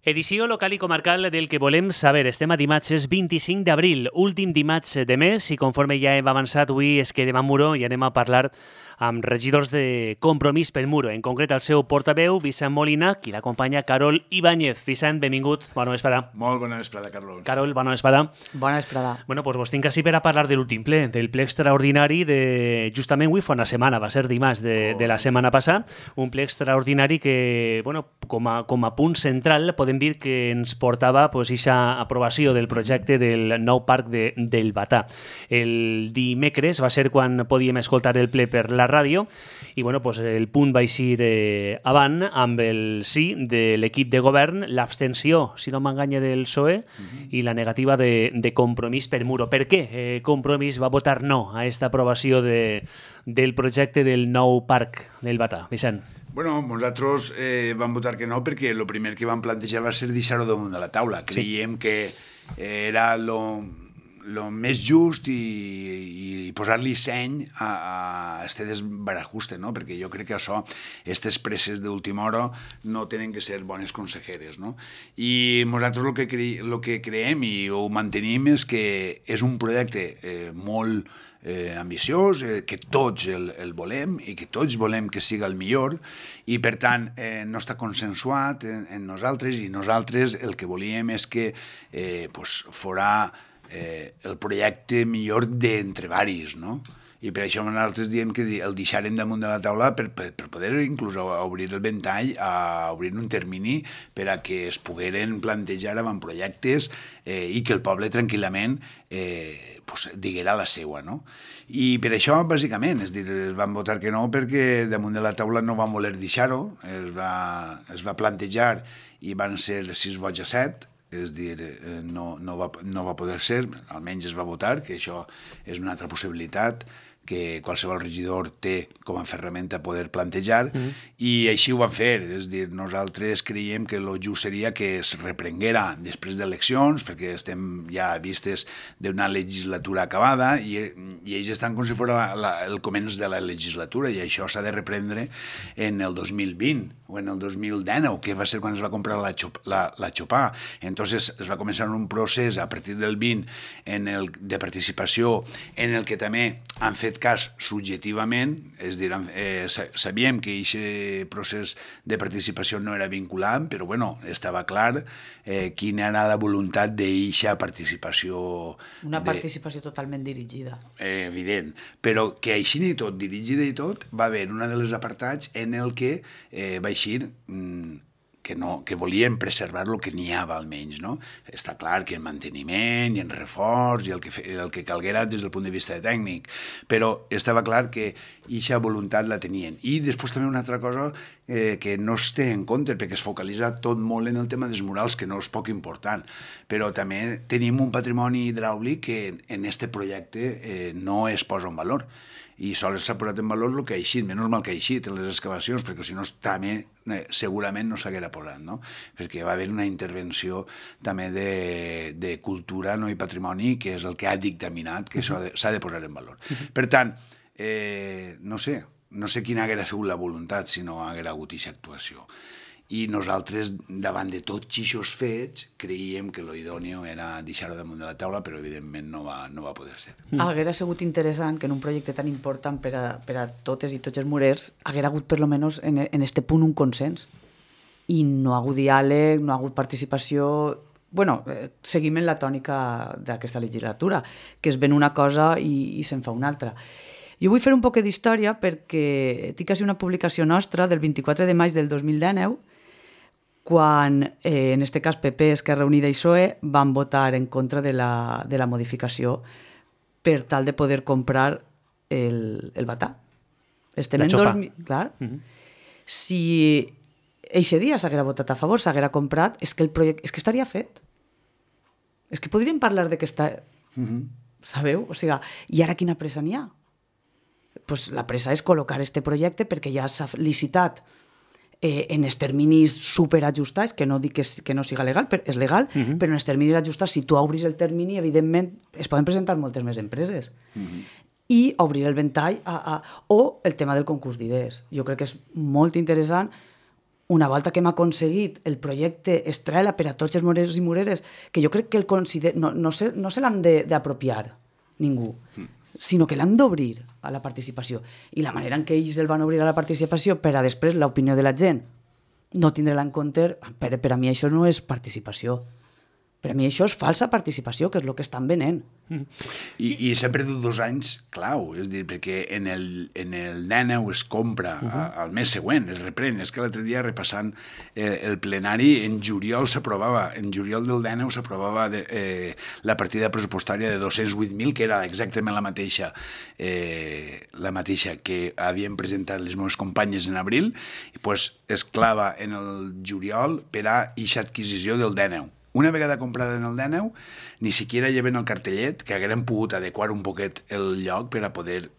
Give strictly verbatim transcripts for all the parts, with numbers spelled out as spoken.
Edició local i comarcal del que volem saber. Estem a dimarts vint-i-cinc d'abril, últim dimarts de mes, i conforme ja hem avançat, avui es quedem a Muro i anem a parlar amb regidors de Compromís per Muro, en concret el seu portaveu, Vicent Molina, qui l'acompanya, Carol Ibáñez. Vicent, benvingut, bona vesprada. Molt bona vesprada, Carlos. Carol, bona vesprada. Bona vesprada. Bueno, doncs vos tinc així per a parlar de l'últim ple, del ple extraordinari de... Justament avui fa una setmana, va ser dimarts de, oh. de la setmana passada, un ple extraordinari que, bueno, com a, com a punt central, podem dir que ens portava pues, aquesta aprovació del projecte del nou parc de, del Batà. El dimecres va ser quan podíem escoltar el ple per la ràdio i bueno, pues, el punt va eixir eh, avant amb el sí de l'equip de govern, l'abstenció, si no m'enganya, del P S O E uh-huh. i la negativa de, de Compromís per Muro. Per què eh, Compromís va votar no a aquesta aprovació de, del projecte del nou parc del Batà? Vicent. Bueno, nosaltres eh, vam votar que no perquè el primer que vam plantejar va ser deixar-ho damunt de la taula. Creiem sí. que era lo, lo més just i, i posar-li seny a, a este desbarajuste, no? Perquè jo crec que això, aquestes presses d'última hora no tenen que ser bones consejeres, no? I nosaltres el que, cre lo que creiem i ho mantenim és que és un projecte eh, molt Eh, ambiciós, eh, que tots el, el volem i que tots volem que siga el millor i per tant eh, no està consensuat en, en nosaltres i nosaltres el que volíem és que eh, pues, fora eh, el projecte millor d'entre varis, no? I per això nosaltres diem que el deixarem damunt de la taula per, per, per poder inclús obrir el ventall, a obrir un termini per a que es pogueren plantejar avantprojectes eh, i que el poble tranquil·lament eh, pues, diguera la seua, no? I per això, bàsicament, és dir, es van votar que no perquè damunt de la taula no van voler deixar-ho, es, va, es va plantejar i van ser sis vots a set, és dir, no, no, va, no va poder ser, almenys es va votar, que això és una altra possibilitat que qualsevol regidor té com a ferramenta poder plantejar, mm. i així ho van fer. És dir, nosaltres creiem que el just seria que es reprenguera després d'eleccions, perquè estem ja vistes d'una legislatura acabada, i, i ells estan com si fos la, la, el començ de la legislatura, i això s'ha de reprendre en el dos mil vint, o en el dos mil dinou, que va ser quan es va comprar la, la, la Chopà. Entonces es va començar un procés a partir del vint en el, de participació, en el que també han fet cas subjectivament, és dir, eh, sabíem que aquest procés de participació no era vinculant, però bueno, estava clar eh, quina era la voluntat d'aquesta participació. Una de, participació totalment dirigida. Eh, evident, però que així ni tot, dirigida i tot, va haver una de les apartats en el que eh, va eixir mm, que, no, que volien preservar el que n'hi havia almenys, no? Està clar que en manteniment i en reforç i el que, el que calguera des del punt de vista tècnic, però estava clar que aquesta voluntat la tenien. I després també una altra cosa eh, que no es té en compte, perquè es focalitza tot molt en el tema dels murals, que no és poc important, però també tenim un patrimoni hidràulic que en este projecte eh, no es posa en valor. I sols s'ha posat en valor el que ha eixit, menys mal que ha eixit en les excavacions, perquè si no també eh, segurament no s'haguera posat, no? Perquè va haver una intervenció també de, de cultura, no, i patrimoni, que és el que ha dictaminat que s'ha de, de posar en valor. Per tant, eh, no sé, no sé quina haguera sigut la voluntat si no haguera hagut aquesta actuació. I nosaltres, davant de tots aquests fets, creiem que lo idòneo era deixar-ho damunt de la taula, però evidentment no va, no va poder ser. Mm. Haguera sigut interessant que en un projecte tan important per a, per a totes i tots els murers haguera hagut per lo menos en, en este punt un consens. I no ha hagut diàleg, no ha hagut participació. Bueno, eh, seguim en la tònica d'aquesta legislatura, que es ven una cosa i, i se'n fa una altra. Jo vull fer un poc d'història perquè tinc quasi una publicació nostra del vint-i-quatre de maig del dos mil dinou, quan, eh, en aquest cas, P P, Esquerra Unida i P S O E van votar en contra de la, de la modificació per tal de poder comprar el, el Batà. Estem la en Chopà. dos mil... Clar. Uh -huh. Si eixe dia s'haguera votat a favor, s'haguera comprat, és que el projecte és que estaria fet. És que podríem parlar de que està... Uh -huh. Sabeu? O sigui, i ara quina pressa n'hi ha? Pues la pressa és col·locar este projecte perquè ja s'ha licitat eh, en els terminis superajustats, que no dic que, que no siga legal, però és legal, uh -huh. però en els terminis ajustats, si tu obris el termini, evidentment es poden presentar moltes més empreses. Uh -huh. I obrir el ventall a, a, o el tema del concurs d'idees. Jo crec que és molt interessant una volta que hem aconseguit el projecte Estrela per a tots els morers i moreres, que jo crec que el consider... no, no se, no se l'han d'apropiar ningú, mm. sinó que l'han d'obrir a la participació. I la manera en què ells el van obrir a la participació per a després l'opinió de la gent no tindre-la en compte, per, per a mi això no és participació. Per a mi això és falsa participació, que és el que estan venent. Mm. I, I s'ha perdut dos anys clau, és dir, perquè en el, en el Dèneu es compra uh -huh. al mes següent, es reprèn. És que l'altre dia, repassant eh, el plenari, en juliol s'aprovava, en juliol del Dèneu s'aprovava de, eh, la partida pressupostària de dos-cents vuit mil, que era exactament la mateixa, eh, la mateixa que havien presentat les meves companyes en abril, i pues, es clava en el juliol per a eixa adquisició del Dèneu. Una vegada comprada en el Dèneu, ni siquiera lleven el cartellet, que hagueren pogut adequar un poquet el lloc per a poder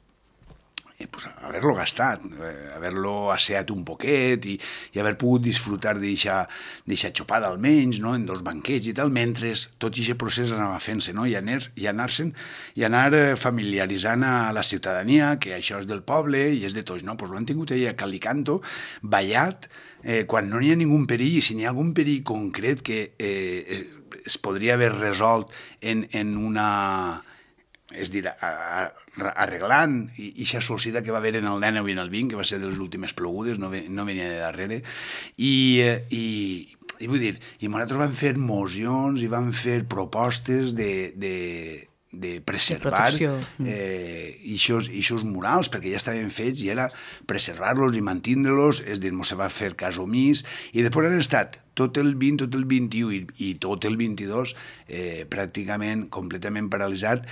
eh, pues, haver-lo gastat, eh, haver-lo asseat un poquet i, i haver pogut disfrutar d'eixa xopada almenys, no? En dos banquets i tal, mentre tot aquest procés anava fent-se, no? I anar, i anar-se'n, i anar familiaritzant a la ciutadania que això és del poble i és de tots, no? Pues l'han tingut allà a Calicanto, ballat, Eh, quan no hi ha ningun perill, i si n'hi ha algun perill concret que eh, es podria haver resolt en, en una... és dir, a, a, arreglant eixa societat que va haver en el Dèneu i en el vint, que va ser de les últimes plogudes, no, ve, no venia de darrere, i, i, i vull dir, i nosaltres vam fer mocions i vam fer propostes de... de de preservar eh, eixos murals, perquè ja estaven fets i era preservar-los i mantindre-los, és dir, no se va fer cas omís, i després han estat tot el vint, tot el vint-i-u i, i tot el vint-i-dos eh, pràcticament completament paralitzat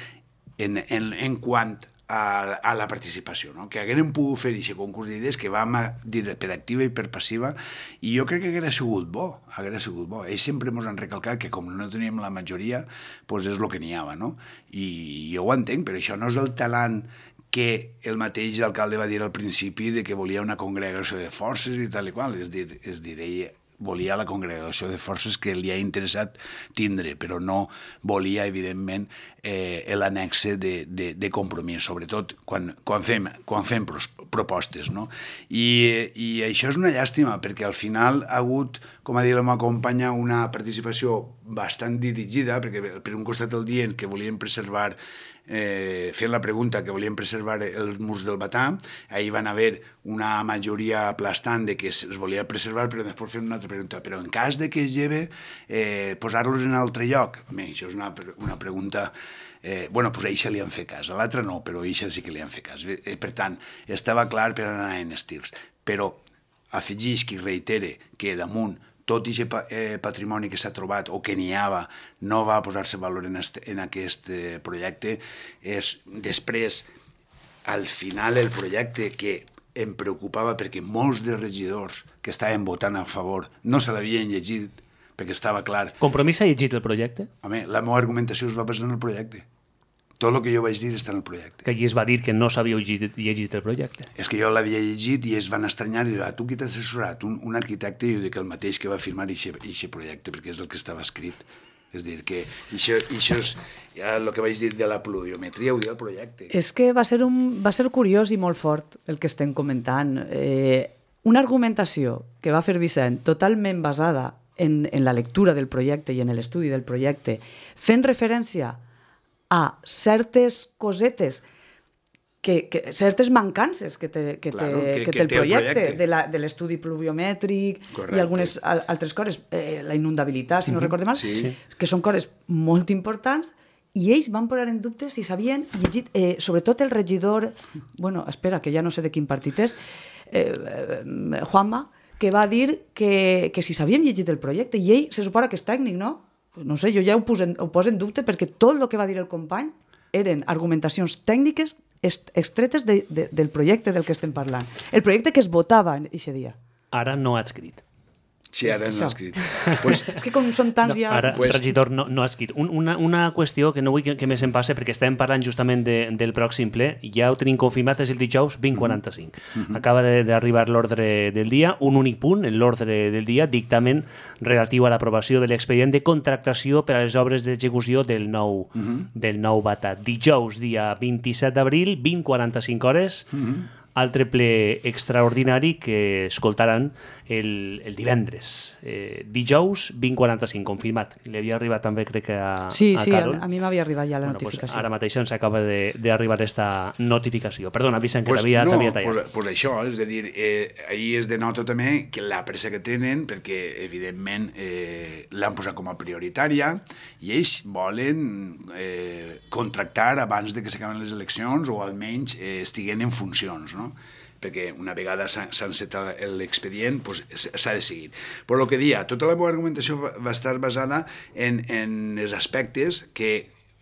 en, en, en quant a, a la participació, no? Que hagueren pogut fer aquest concurs d'idees que vam dir per activa i per passiva, i jo crec que haguera sigut bo, haguera sigut bo. Ells sempre ens han recalcat que com no teníem la majoria, doncs és el que n'hi havia, no? I jo ho entenc, però això no és el talant que el mateix alcalde va dir al principi de que volia una congregació de forces i tal i qual, és dir, és dir ell volia la congregació de forces que li ha interessat tindre, però no volia, evidentment, eh, l'anexe de, de, de compromís, sobretot quan, quan fem, quan fem propostes, no? I, I això és una llàstima, perquè al final ha hagut, com ha dit la meva companya, una participació bastant dirigida, perquè per un costat el dient que volien preservar Eh, fent la pregunta que volien preservar els murs del Batà, ahir van haver una majoria aplastant de que es volia preservar, però després fent una altra pregunta, però en cas de que es lleve eh, posar-los en altre lloc? Bé, això és una, una pregunta eh, bueno, doncs a eixa li han fet cas, a l'altra no, però a eixa sí que li han fet cas. Eh, per tant, estava clar per anar en estils, però afegeix que reitere que damunt tot aquest patrimoni que s'ha trobat o que n'hi havia no va posar-se valor en, este, en aquest projecte. És després, al final, el projecte que em preocupava perquè molts dels regidors que estaven votant a favor no se l'havien llegit perquè estava clar. Compromís ha llegit el projecte? Home, la meva argumentació es va basar en el projecte. Tot el que jo vaig dir està en el projecte. Que allí es va dir que no s'havia llegit, llegit el projecte. És que jo l'havia llegit i es van estranyar i dir, ah, tu qui t'has assessorat? Un, un arquitecte, i jo dic el mateix que va firmar aquest projecte, perquè és el que estava escrit. És dir, que això, això és ja el que vaig dir de la pluviometria, ho diu el projecte. És que va ser, un, va ser curiós i molt fort el que estem comentant. Eh, una argumentació que va fer Vicent totalment basada en, en la lectura del projecte i en l'estudi del projecte, fent referència a certes cosetes, que, que, certes mancances que té, que claro, té, que, que que té el té projecte, el projecte. de, la, de l'estudi pluviomètric. Correcte. I algunes al, altres coses, eh, la inundabilitat, si no uh-huh. recordem mal, sí. que són coses molt importants, i ells van posar en dubte si s'havien llegit, eh, sobretot el regidor, bueno, espera, que ja no sé de quin partit és, eh, eh, Juanma, que va dir que, que si s'havien llegit el projecte, i ell se suposa que és tècnic, no? No sé, jo ja ho poso, en, ho poso en dubte perquè tot el que va dir el company eren argumentacions tècniques extretes de, de, del projecte del que estem parlant. El projecte que es votava aquest dia. Ara no ha escrit. Sí, ara no ha escrit. Pues, és que com són tants no, ja... Ara, pues... regidor, no, no ha escrit. Un, una, una qüestió que no vull que, que més em passe, perquè estem parlant justament de, del pròxim ple, ja ho tenim confirmat, és el dijous vint quaranta-cinc. Mm-hmm. Acaba d'arribar l'ordre del dia, un únic punt en l'ordre del dia, dictamen relatiu a l'aprovació de l'expedient de contractació per a les obres d'execució del nou, mm-hmm. del nou Batà. Dijous, dia vint-i-set d'abril, vint quaranta-cinc hores, mm-hmm. altre ple extraordinari que escoltaran el, el divendres. Eh, dijous vint quaranta-cinc, confirmat. Li havia arribat també, crec que a, sí, a sí, Carol. a, a mi m'havia arribat ja la bueno, notificació. Pues ara mateix ens acaba d'arribar aquesta notificació. Perdona, Vicent, que pues t'havia no, tallat. Pues, pues això, és a dir, eh, ahir es denota també que la pressa que tenen, perquè evidentment eh, l'han posat com a prioritària i ells volen eh, contractar abans de que s'acaben les eleccions o almenys eh, estiguen en funcions, no? Perquè una vegada s'ha encetat l'expedient pues, s'ha de seguir. Però el que dia, tota la meva argumentació va, va estar basada en, en els aspectes que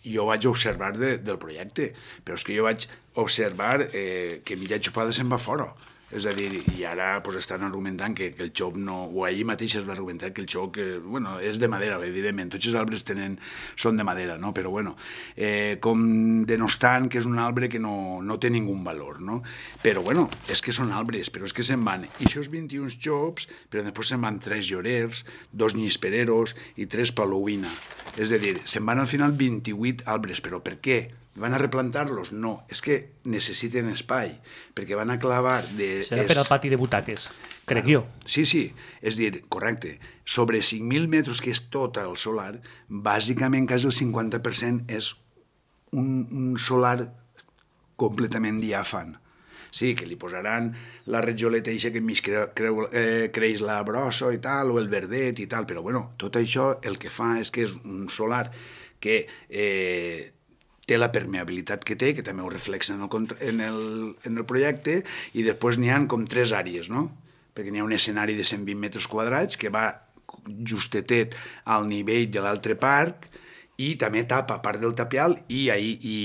jo vaig observar de, del projecte, però és que jo vaig observar eh, que Mireia Xupada se'n va fora. És a dir, i ara pues, estan argumentant que, que el xoc no... O ahir mateix es va argumentar que el xoc eh, bueno, és de madera, evidentment. Tots els arbres tenen, són de madera, no? Però bueno, eh, com denostant que és un arbre que no, no té ningú valor, no? Però bueno, és que són arbres, però és que se'n van i això vint-i-un xops, però després se'n van tres llorers, dos nyispereros i tres palouina. És a dir, se'n van al final vint-i-vuit arbres, però per què? Van a replantar-los? No, és que necessiten espai, perquè van a clavar... De, Serà és... per al pati de butaques, crec bueno, jo. Sí, sí, és dir, correcte, sobre cinc mil metres, que és tot el solar, bàsicament quasi el cinquanta per cent és un, un solar completament diàfan. Sí, que li posaran la retjoleta eixa que enmig cre, cre, eh, creix la brossa i tal, o el verdet i tal, però bueno, tot això el que fa és que és un solar que... Eh, té la permeabilitat que té, que també ho reflexa en el, en el, en el projecte, i després n'hi ha com tres àrees, no? Perquè n'hi ha un escenari de cent vint metres quadrats que va justetet al nivell de l'altre parc i també tapa part del tapial i, i, i,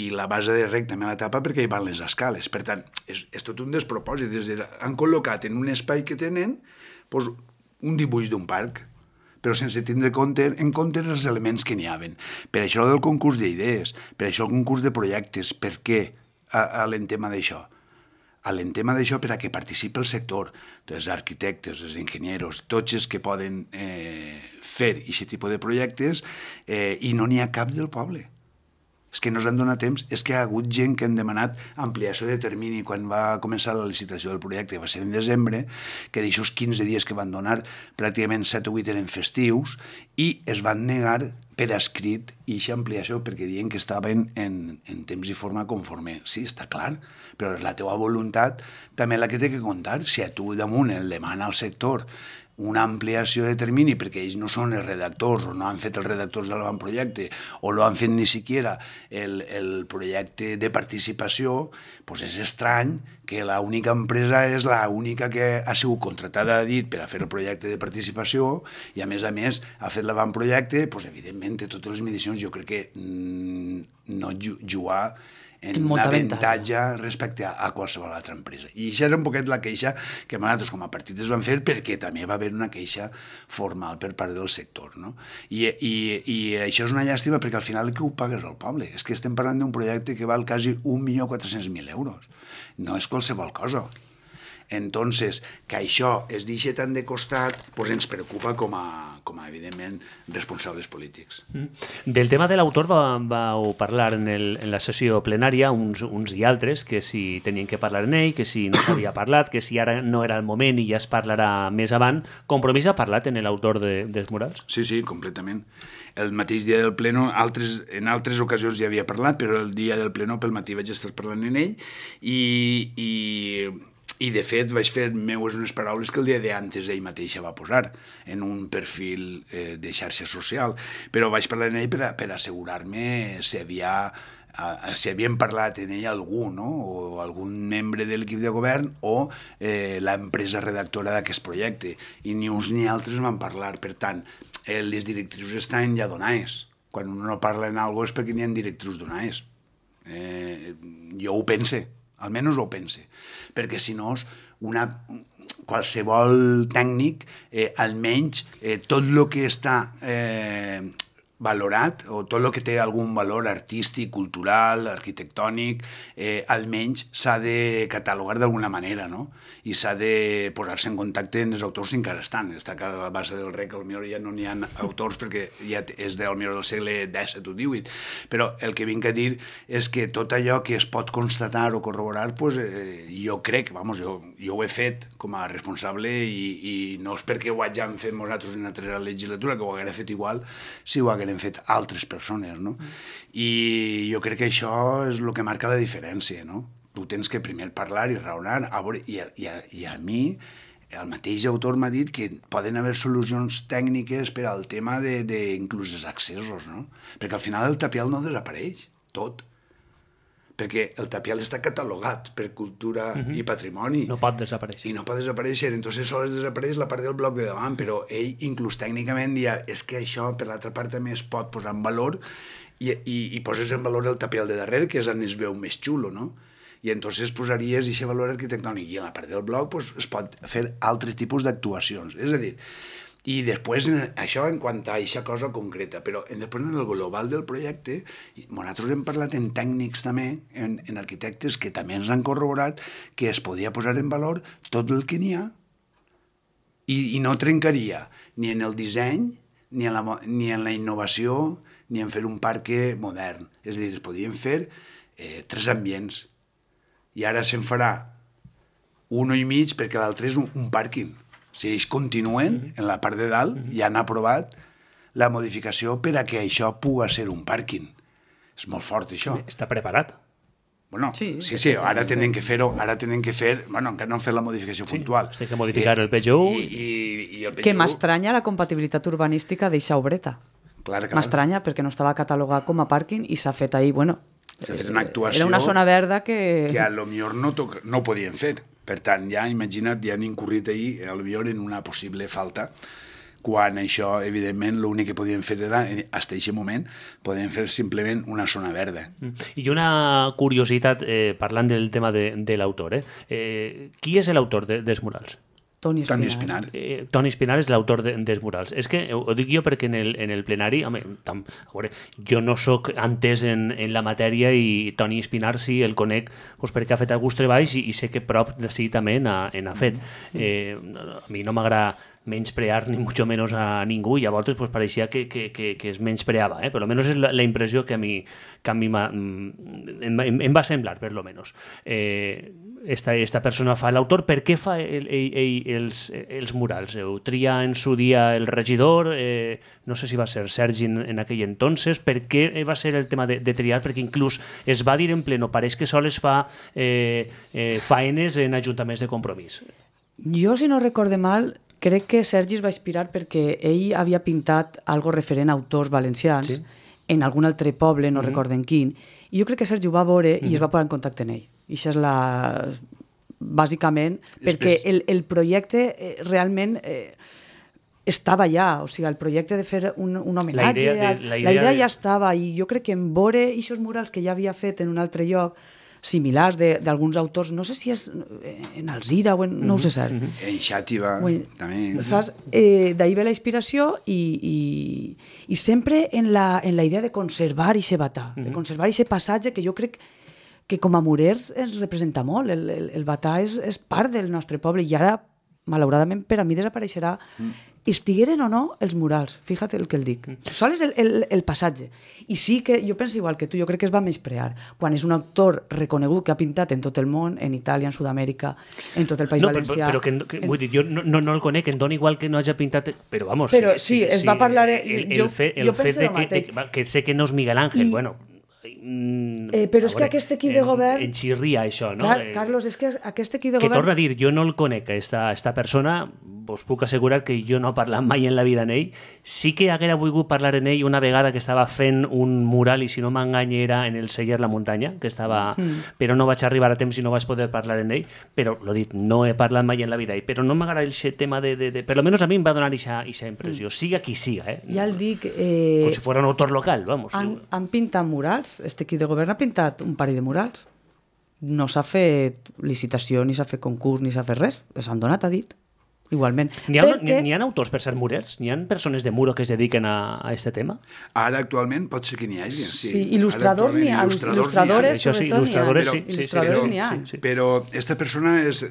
i la base de rec també la tapa perquè hi van les escales. Per tant, és, és tot un despropòsit. És dir, han col·locat en un espai que tenen doncs, un dibuix d'un parc, però sense tindre compte, en compte els elements que n'hi haven. Per això del concurs d'idees, per això el concurs de projectes, per què a, a l'entema d'això? A l'entema d'això per a que participi el sector, els arquitectes, els enginyeros, tots els que poden eh, fer aquest tipus de projectes eh, i no n'hi ha cap del poble. És que no s'han donat temps, és que hi ha hagut gent que han demanat ampliació de termini quan va començar la licitació del projecte, va ser en desembre, que d'aixòs quinze dies que van donar, pràcticament set o vuit eren festius, i es van negar per escrit aquesta ampliació perquè diuen que estaven en, en temps i forma conforme. Sí, està clar, però la teva voluntat també la que té que comptar. Si a tu damunt el demana al sector una ampliació de termini perquè ells no són els redactors o no han fet els redactors de l'avantprojecte o no han fet ni siquiera el, el projecte de participació, doncs és estrany que l'única empresa és l'única que ha sigut contratada a dit per a fer el projecte de participació i a més a més ha fet l'avantprojecte, doncs evidentment té totes les medicions, jo crec que mm, no jugar en un avantatge respecte a, a qualsevol altra empresa. I això era un poquet la queixa que nosaltres com a partit es van fer perquè també va haver una queixa formal per part del sector. No? I, i, I això és una llàstima perquè al final que ho pagues al poble. És que estem parlant d'un projecte que val quasi un milió quatre-cents mil euros. No és qualsevol cosa. Entonces, que això es deixi tant de costat, doncs ens preocupa com a, com a evidentment, responsables polítics. Mm. Del tema de l'autor va, vau parlar en, el, en la sessió plenària uns, uns i altres, que si tenien que parlar en ell, que si no s'havia parlat, que si ara no era el moment i ja es parlarà més avant. Compromís ha parlat en l'autor de, dels murals? Sí, sí, completament. El mateix dia del pleno, altres, en altres ocasions ja havia parlat, però el dia del pleno pel matí vaig estar parlant en ell i... i I, de fet, vaig fer meues unes paraules que el dia d'antes ell mateixa va posar en un perfil eh, de xarxa social. Però vaig parlar en ell per, a, per assegurar-me si havia... Uh, si havien parlat en ell algú, no? O algun membre de l'equip de govern o eh, l'empresa redactora d'aquest projecte. I ni uns ni altres van parlar. Per tant, eh, les directrius estan ja donades. Quan un no parla en alguna cosa és perquè n'hi ha directrius donades. Eh, jo ho pense. Almenys ho pense, perquè si no, una, qualsevol tècnic, eh, almenys eh, tot el que està eh, valorat, o tot el que té algun valor artístic, cultural, arquitectònic, eh, almenys s'ha de catalogar d'alguna manera, no? I s'ha de posar-se en contacte amb els autors que encara estan. Està que a la base del rec potser ja no n'hi ha autors perquè ja és del, del segle disset o divuit, però el que vinc a dir és que tot allò que es pot constatar o corroborar, pues, eh, jo crec, vamos, jo, jo ho he fet com a responsable i, i no és perquè ho hàgim fet nosaltres en una altra legislatura, que ho haguem fet igual si ho haguem fet altres persones, no? Mm. I jo crec que això és el que marca la diferència, no? Tu tens que primer parlar i raonar, a veure, i, a, i, a, i a mi el mateix autor m'ha dit que poden haver solucions tècniques per al tema de, de inclús els accessos, no? Perquè al final el tapial no desapareix, tot. Perquè el tapial està catalogat per cultura uh-huh. i patrimoni. No pot desaparèixer. I no pot desaparèixer, entonces sols desapareix la part del bloc de davant, però ell inclús tècnicament dia, és que això per l'altra part també es pot posar en valor i, i, i poses en valor el tapial de darrere, que és on es veu més xulo, no? I entonces posaries aquest valor arquitectònic i en la part del bloc pues, es pot fer altres tipus d'actuacions. És a dir, i després això en quant a aquesta cosa concreta, però després en el global del projecte, nosaltres hem parlat en tècnics també, en, en arquitectes que també ens han corroborat que es podia posar en valor tot el que n'hi ha i, i no trencaria ni en el disseny, ni en, la, ni en la innovació, ni en fer un parc modern. És a dir, es podien fer eh, tres ambients. I ara se'n farà un i mig perquè l'altre és un, un pàrquing. Si ells continuen, en la part de dalt, ja han aprovat la modificació per a que això pugui ser un pàrquing. És molt fort, això. Està preparat. Bueno, sí, sí, sí, ara tenen que fer-ho, ara tenen que fer... Bueno, encara no han fet la modificació sí, puntual. Té que modificar el P G U. I, i, i el P G U... Que m'estranya la compatibilitat urbanística d'eixa obreta. Clar, clar. M'estranya perquè no estava catalogat com a pàrquing i s'ha fet ahir, bueno... S'ha fet una actuació... Era una zona verda que... Que a lo millor no, toc... no podien fer. Per tant, ja, imagina't, ja han incurrit ahir, a lo millor, en una possible falta, quan això, evidentment, l'únic que podien fer era, fins a aquest moment, podien fer simplement una zona verda. I una curiositat, eh, parlant del tema de, de l'autor, eh? eh? Qui és l'autor de, dels murals? Toni Espinar. Toni Espinar. Eh, Toni Espinar és l'autor de, dels murals. És que ho, ho dic jo perquè en el, en el plenari, home, tam, a veure, jo no sóc entès en, en la matèria i Toni Espinar sí el conec doncs, perquè ha fet alguns treballs i, i sé que prop de sí també n'ha fet. Eh, a mi no m'agrada menysprear ni mucho menos a ningú i a voltes pues, pareixia que, que, que, que es menyspreava, eh? Per lo menos és la, la impressió que a mi, que a mi em, em, em va semblar, per lo menos. Eh, esta, esta persona fa l'autor. Per què fa el, el, el, els, els murals? Ho tria en su dia el regidor, eh, no sé si va ser Sergi en, en aquell entonces, per què va ser el tema de, de triar? Perquè inclús es va dir en pleno, pareix que sols fa eh, eh, faenes en ajuntaments de Compromís. Jo, si no recorde mal, crec que Sergi es va inspirar perquè ell havia pintat algo referent a autors valencians sí. en algun altre poble, no mm-hmm. recorden quin, i jo crec que Sergi ho va veure mm-hmm. i es va posar en contacte amb ell. I això és la... bàsicament, perquè el, el projecte eh, realment eh, estava ja, o sigui, el projecte de fer un, un homenatge, la idea, de, la idea, la idea de... ja estava, i jo crec que en veure aquests murals que ja havia fet en un altre lloc, similars d'alguns autors, no sé si és en Alzira o en... no ho sé cert. Mm-hmm. En Xàtiva, bueno, també. Saps? Eh, D'ahir ve la inspiració i, i, i sempre en la, en la idea de conservar aquest batà, mm-hmm. de conservar aquest passatge que jo crec que com a murers ens representa molt. El, el, el batà és, és part del nostre poble i ara, malauradament, per a mi desapareixerà. Mm. Estigueren o no els murals, fíjate el que el dic. Sol és el, el, el passatge. I sí que jo penso igual que tu, jo crec que es va menysprear. Quan és un autor reconegut que ha pintat en tot el món, en Itàlia, en Sud-amèrica, en tot el País no, Valencià... Però, però que, que, vull dir, jo no, no, no el conec, em dona igual que no hagi pintat... Però, vamos... Però sí, sí es va parlar... El, el, fe, el jo fet de que, de, que sé que no és Miguel Ángel, I, bueno... Eh, però és que aquest equip de govern... En xirria, això, no? Clar, Carlos, és que aquest equip de que govern... Que torna a dir, jo no el conec, esta, esta persona, us puc assegurar que jo no he parlat mai en la vida en ell. Sí que haguera volgut parlar en ell una vegada que estava fent un mural, i si no m'enganya era en el Celler La Muntanya, que estava... Mm. Però no vaig arribar a temps i no vaig poder parlar en ell, però, l'ho dit, no he parlat mai en la vida, però no m'agrada aquest tema de, de, de... Per lo menos a mi em va donar aquesta impressió, mm. siga qui siga, eh? Ja el dic... Eh... Com si fos un autor local, vamos. Han, han pintat murals, este equip de govern ha pintat un parell de murals. No s'ha fet licitació, ni s'ha fet concurs, ni s'ha fet res. S'han donat, ha dit. igualment. N'hi ha, Perquè... n'hi ha autors per ser murers? N'hi ha persones de muro que es dediquen a, a este tema? Ara, actualment, pot ser que n'hi hagi, sí. Sí, il·lustradors n'hi ha, il·lustradores, sí, sobretot n'hi ha. il·lustradores, sí, Il·lustradores sí, n'hi ha. sí, sí. Però esta persona és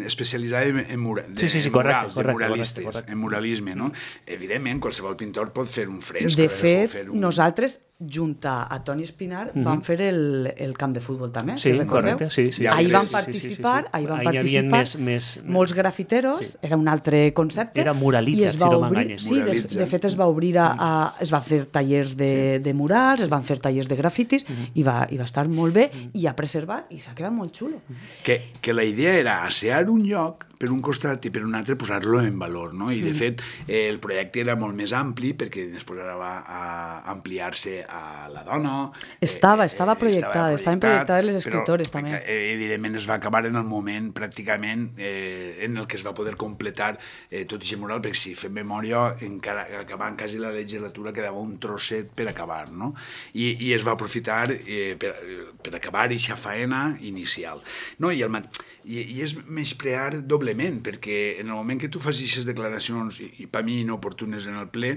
especialitzada en, en, mura, de, sí, sí, sí, en correcte, murals, correcte, en muralistes, correcte, correcte. en muralisme, no? Evidentment, qualsevol pintor pot fer un fresc. De res, o fet, fer un... nosaltres, junt a, a Toni Espinar, Mhm. vam fer el, el camp de futbol també, Sí, si recordeu? correcte, sí, sí. Ja Ahí sí, van sí, sí, participar, sí, sí, sí. ahí van Ahí hi havia participar més- més- molts grafiteros, Sí. era un altre concepte. Era muralitza, i es si va no obrir, m'enganyes. sí, de, Muralitza. de fet es va obrir a, a es van fer tallers de, de murals, es van fer tallers de grafitis i, va, i va estar molt bé i ha preservat i s'ha quedat molt xulo. Que, que la idea era assear un lloc per un costat i per un altre posar-lo en valor, no? I de fet eh, el projecte era molt més ampli perquè després ara va a ampliar-se a la dona. Estava, eh, estava projectada, estaven projectades les escritores però, també. Eh, evidentment es va acabar en el moment pràcticament eh, en el que es va poder completar eh, tot aquest mural, perquè si fem memòria encara acabant quasi la legislatura quedava un trosset per acabar, no? I, i es va aprofitar eh, per, per acabar aquesta faena inicial. No? I, el, i, i és menysprear doblement, perquè en el moment que tu fas aquestes declaracions, i, i per mi inoportunes en el ple,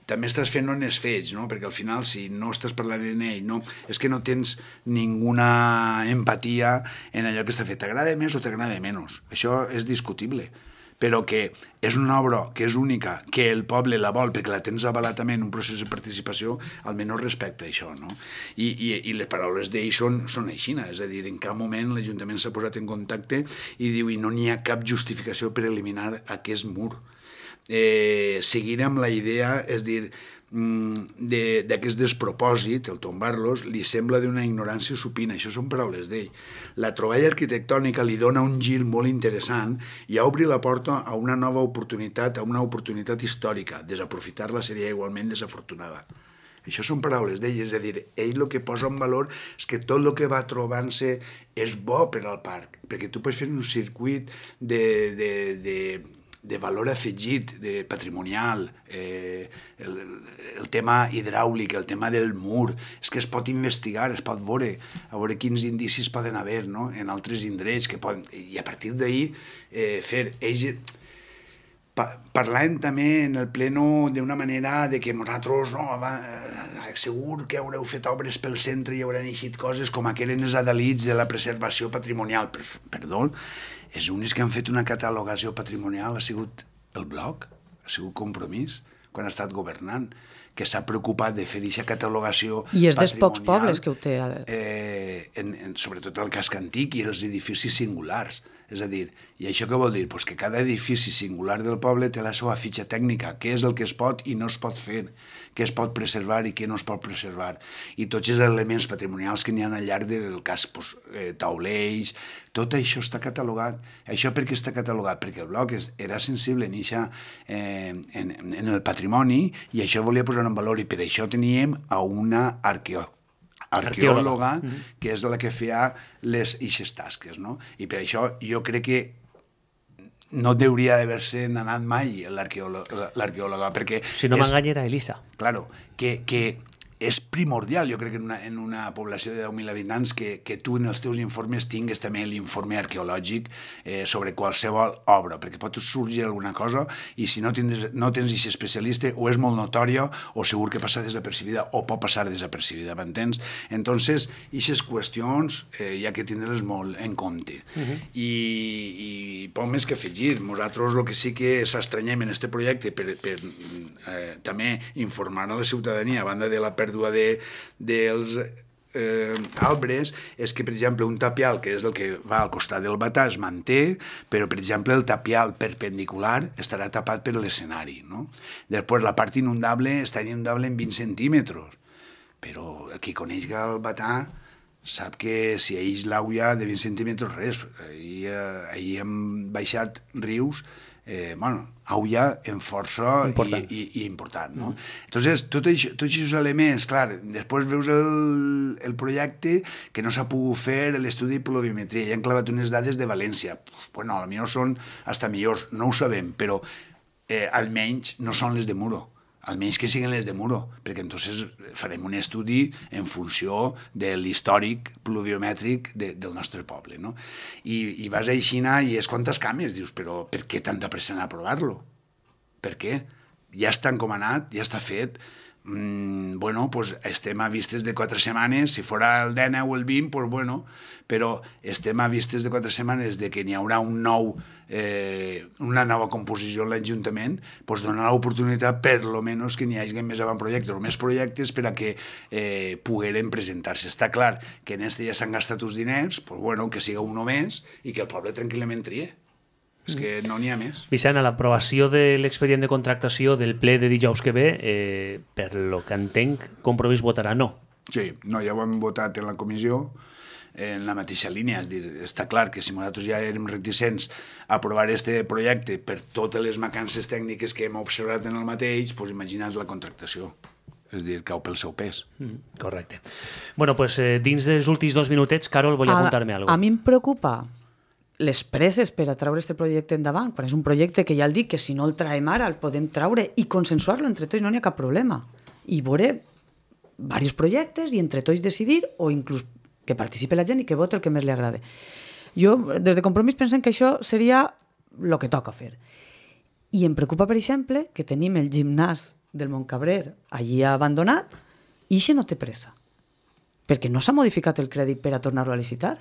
també estàs fent els fets, no? Perquè al final si no estàs parlant en ell, no, és que no tens ninguna empatia en allò que està fet. T'agrada més o t'agrada menys. Això és discutible. Però que és una obra que és única, que el poble la vol perquè la tens avalat també en un procés de participació, almenys respecta això, no? I, i, i les paraules d'ell són, són així, és a dir, en cap moment l'Ajuntament s'ha posat en contacte i diu i no n'hi ha cap justificació per eliminar aquest mur. Eh, seguir amb la idea, és dir, d'aquest despropòsit, el tombar-los, li sembla d'una ignorància supina. Això són paraules d'ell. La troballa arquitectònica li dona un gir molt interessant i obri la porta a una nova oportunitat, a una oportunitat històrica. Desaprofitar-la seria igualment desafortunada. Això són paraules d'ell, és a dir, ell el que posa en valor és que tot el que va trobant-se és bo per al parc, perquè tu pots fer un circuit de... de, de de valor afegit, de patrimonial, eh, el, el tema hidràulic, el tema del mur, és que es pot investigar, es pot veure, a veure quins indicis poden haver, no? En altres indrets, que poden, i a partir d'ahir eh, fer... Ells, pa, parlant també en el pleno d'una manera de que nosaltres, no, va, eh, segur que haureu fet obres pel centre i hauran eixit coses com aquelles els adalits de la preservació patrimonial. Per, perdó, els únics que han fet una catalogació patrimonial ha sigut el Bloc, ha sigut Compromís, quan ha estat governant, que s'ha preocupat de fer aquesta catalogació patrimonial. I és dels pocs pobles que ho té. Eh, en, en, sobretot el casc antic i els edificis singulars. És a dir, i això què vol dir? Pues que cada edifici singular del poble té la seva fitxa tècnica, què és el que es pot i no es pot fer, què es pot preservar i què no es pot preservar. I tots els elements patrimonials que n'hi ha al llarg del cas, pues, eh, taulells, tot això està catalogat. Això per què està catalogat? Perquè el Bloc és, era sensible en, ixa, eh, en, en el patrimoni i això volia posar en valor i per això teníem a una arqueòloga arqueòloga, que és la que feia les eixes tasques, no? I per això jo crec que no hauria d'haver-se anat mai l'arqueòloga, perquè... Si no m'enganya era Elisa. Claro, que, que és primordial, jo crec que en una, en una població de deu mil habitants que, que tu en els teus informes tingues també l'informe arqueològic eh, sobre qualsevol obra, perquè pot sorgir alguna cosa i si no tens, no tens aquest especialista o és molt notòria o segur que passa desapercibida o pot passar desapercibida, m'entens? Entonces, aquestes qüestions eh, hi ha que tindre-les molt en compte. Uh-huh. I, i poc més que afegir. Nosaltres el que sí que s'estranyem en aquest projecte per, per eh, també informar a la ciutadania a banda de la pèrdua de, dels eh, arbres és que, per exemple, un tapial, que és el que va al costat del batà, es manté, però, per exemple, el tapial perpendicular estarà tapat per l'escenari, no? Després, la part inundable està inundable en vint centímetres, però qui coneix el batà sap que si ells l'auia de vint centímetres, res. Ahir, eh, ahir hem baixat rius Eh, bueno, auia en força important. I, i, i important, no? Mm. Entonces, tot això, tots aquests elements, clar, després veus el, el projecte que no s'ha pogut fer l'estudi de pluviometria, i han clavat unes dades de València. Bueno, potser són hasta millors, no ho sabem, però eh, almenys no són les de Muro. almenys que siguin les de Muro, perquè entonces farem un estudi en funció de l'històric pluviomètric de, del nostre poble, no? I, i vas a Aixina i és quantes cames, dius, però per què tanta pressa en aprovar-lo? Per què? Ja està encomanat, ja està fet. Mm, bueno, pues estem a vistes de quatre setmanes, si fora el dinou o el vint, pues bueno, però estem a vistes de quatre setmanes de que n'hi haurà un nou, eh, una nova composició en l'Ajuntament, pues donar l'oportunitat per lo menos que n'hi hagi més avantprojectes o més projectes per a que eh, pogueren presentar-se. Està clar que en este ja s'han gastat uns diners, pues bueno, que siga un més i que el poble tranquil·lament trie. És que no n'hi ha més. Vicent, a l'aprovació de l'expedient de contractació del ple de dijous que ve, eh, per lo que entenc, Compromís votarà no. Sí, no, ja ho hem votat en la comissió, en la mateixa línia. És dir, està clar que si nosaltres ja érem reticents a aprovar este projecte per totes les mancances tècniques que hem observat en el mateix, doncs imagina't la contractació. És dir, cau pel seu pes. Mm, correcte. Bueno, pues, eh, dins dels últims dos minutets, Carol, volia contar-me alguna cosa. A mi em preocupa les presses per a treure aquest projecte endavant, quan és un projecte que ja el dic que si no el traiem ara el podem treure i consensuar-lo entre tots, no n'hi ha cap problema. I veure diversos projectes i entre tots decidir o inclús que participi la gent i que voti el que més li agrada. Jo, des de Compromís, pensem que això seria el que toca fer. I em preocupa, per exemple, que tenim el gimnàs del Montcabrer allí abandonat i això no té pressa. Perquè no s'ha modificat el crèdit per a tornar-lo a licitar.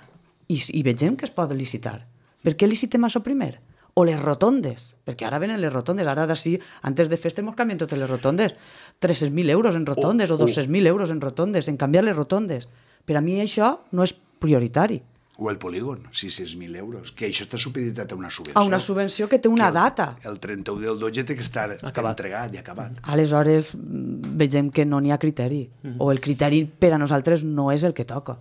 I, i vegem que es pot licitar. Per què licitem això primer? O les rotondes, perquè ara venen les rotondes, ara d'ací, antes de festa ens canvien totes les rotondes, tres-cents mil euros en rotondes o, o dos-cents mil euros en rotondes, en canviar les rotondes. Per a mi això no és prioritari. O el polígon, sis-cents mil euros, que això està supeditat a una subvenció. A una subvenció que té una que el, data. El trenta-u del dotze té que estar acabat. entregat i acabat. Aleshores, vegem que no n'hi ha criteri. Mm-hmm. O el criteri per a nosaltres no és el que toca.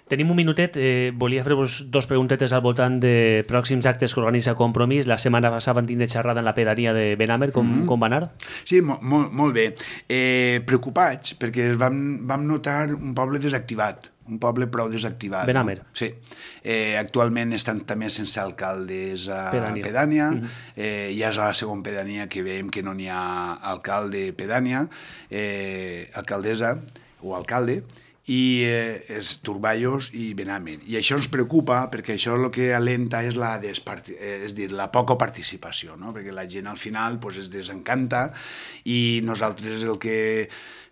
Tenim un minutet, eh, volia fer-vos dos preguntetes al voltant de pròxims actes que organitza Compromís. La setmana passada van tindre xerrada en la pedania de Benamer, com, mm-hmm. com va anar? Sí, mo, molt, molt bé. Eh, preocupats, perquè vam, vam notar un poble desactivat, un poble prou desactivat. Benamer. No? Sí. Eh, actualment estan també sense alcaldes a Pedània. Pedània. Mm-hmm. eh, ja és a la segona pedania que veiem que no n'hi ha alcalde Pedània, eh, alcaldessa o alcalde, i eh, és Turballos i Benamer. I això ens preocupa perquè això el que alenta és la, desparti- és dir, la poca participació, no? Perquè la gent al final pues, es desencanta i nosaltres el que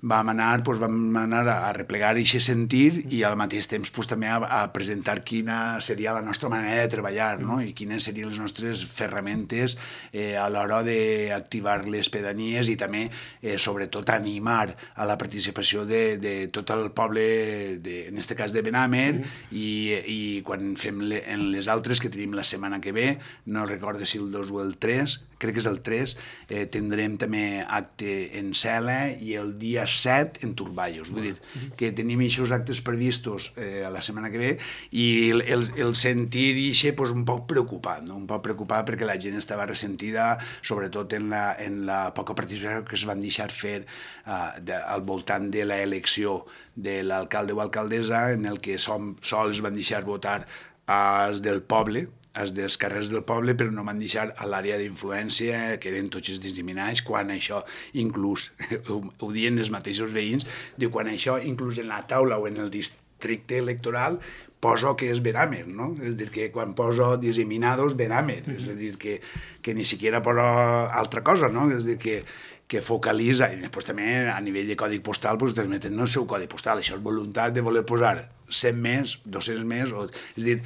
vam anar, doncs vam anar a replegar aquest sentir i al mateix temps doncs, també a, a presentar quina seria la nostra manera de treballar, no? I quines serien les nostres ferramentes eh, a l'hora d'activar les pedanies i també, eh, sobretot, animar a la participació de, de tot el poble, de, en aquest cas de Benamer, mm. i, i quan fem le, en les altres que tenim la setmana que ve, no recordo si el dos o el tres, crec que és el tres, eh, tindrem també acte en Cela i el dia set en Turballos. Vull dir que tenim aquests actes previstos eh, a la setmana que ve i el, el, el sentir ixe pues, un poc preocupat, no? Un poc preocupat perquè la gent estava ressentida, sobretot en la, en la poca participació que es van deixar fer uh, de, al voltant de l'elecció de l'alcalde o alcaldessa, en el que som, sols van deixar votar als del poble, els dels carrers del poble, però no van deixar a l'àrea d'influència, que eren tots els discriminats, quan això, inclús, ho, ho diuen els mateixos veïns, diu, quan això, inclús en la taula o en el districte electoral, poso que és Benamer, no? És a dir, que quan poso disseminados, Benamer, és a dir, que, que ni siquiera poso altra cosa, no? És a dir, que, que focalitza, i després també a nivell de codi postal, doncs transmeten el seu codi postal, això és voluntat de voler posar cent més, dos-cents més, o, és a dir,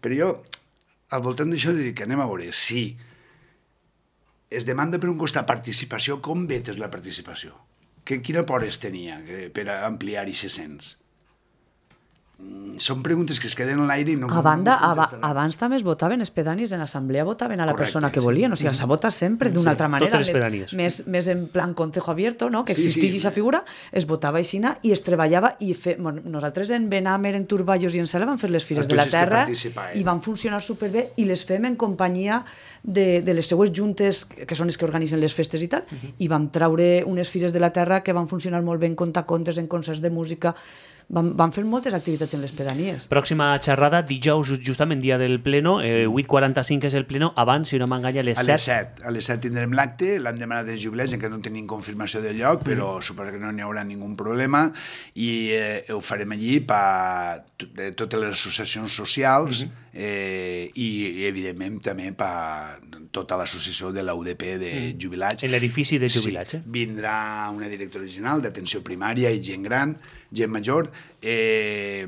però jo, al voltant d'això, dic que anem a veure si es demanda per un costat participació, com vetes la participació? Que, quina por es tenia per ampliar aquest cens? Són preguntes que es queden en l'aire i no... A banda, no abans també es votaven els pedanis, en l'assemblea votaven a la Correcte, persona que volien, o sigui, s'ha votat sempre d'una sí, altra manera, més, més, més en plan consejo abierto, no? Que existís aquesta sí, sí. figura, es votava aixina i es treballava, i fe... bueno, nosaltres en Benamer, en Turballos i en Cela vam fer les Fires de la Terra i van funcionar superbé i les fem en companyia de, de les seues juntes, que són les que organitzen les festes i tal, uh-huh. i vam traure unes Fires de la Terra que van funcionar molt bé en contacontes, en concerts de música. van, van fer moltes activitats en les pedanies. Pròxima xerrada, dijous, justament dia del pleno, eh, vuit quaranta-cinc és el pleno, abans, si no m'enganya, a les set. A les set. A les set tindrem l'acte, l'han demanat els jubilats, encara no tenim confirmació del lloc, però mm. suposo que no n'hi haurà ningú problema, i eh, ho farem allí per totes les associacions socials, mm-hmm. eh, i, i evidentment també per tota l'associació de l'U D P de mm. jubilats. En l'edifici de jubilats, sí. eh? Vindrà una directora general d'atenció primària i gent gran, gent major, eh,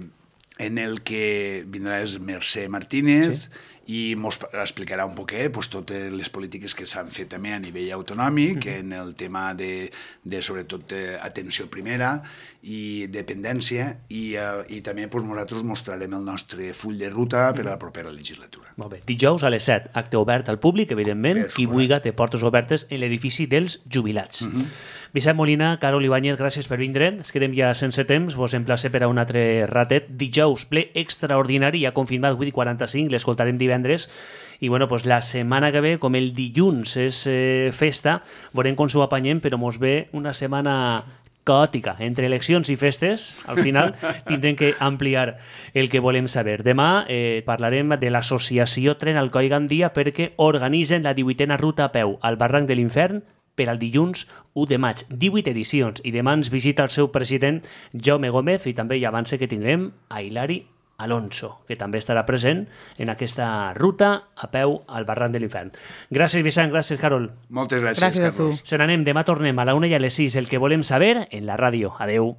en el que vindrà és Mercè Martínez, sí. i ens explicarà un poquet pues, totes les polítiques que s'han fet també a nivell autonòmic, mm-hmm. en el tema de, de sobretot, atenció primera i dependència, i, uh, i també pues, nosaltres mostrarem el nostre full de ruta per a la propera legislatura. Molt bé. Dijous a les set, acte obert al públic, evidentment, qui vulgui té portes obertes en l'edifici dels jubilats. Mm-hmm. Vicent Molina, Carol Ibáñez, gràcies per vindre. Es quedem ja sense temps, vos emplace per a un altre ratet. Dijous, ple extraordinari, ja confirmat, vuit quaranta-cinc, l'escoltarem divendres. I bueno, pues la setmana que ve, com el dilluns és eh, festa, veurem com s'ho apanyem, però mos ve una setmana caòtica. Entre eleccions i festes, al final tindrem que ampliar el que volem saber. Demà eh, parlarem de l'associació Tren Alcoi Gandia perquè organitzen la divuitena ruta a peu al barranc de l'Infern per al dilluns u de maig. divuit edicions. I demà ens visita el seu president Jaume Gómez i també hi avance que tindrem a Hilari Alonso, que també estarà present en aquesta ruta a peu al barranc de l'Infern. Gràcies, Vicent, gràcies, Carol. Moltes gràcies, gràcies Carlos. a tu. Se n'anem, demà tornem a la una i a les sis, el que volem saber en la ràdio. Adeu.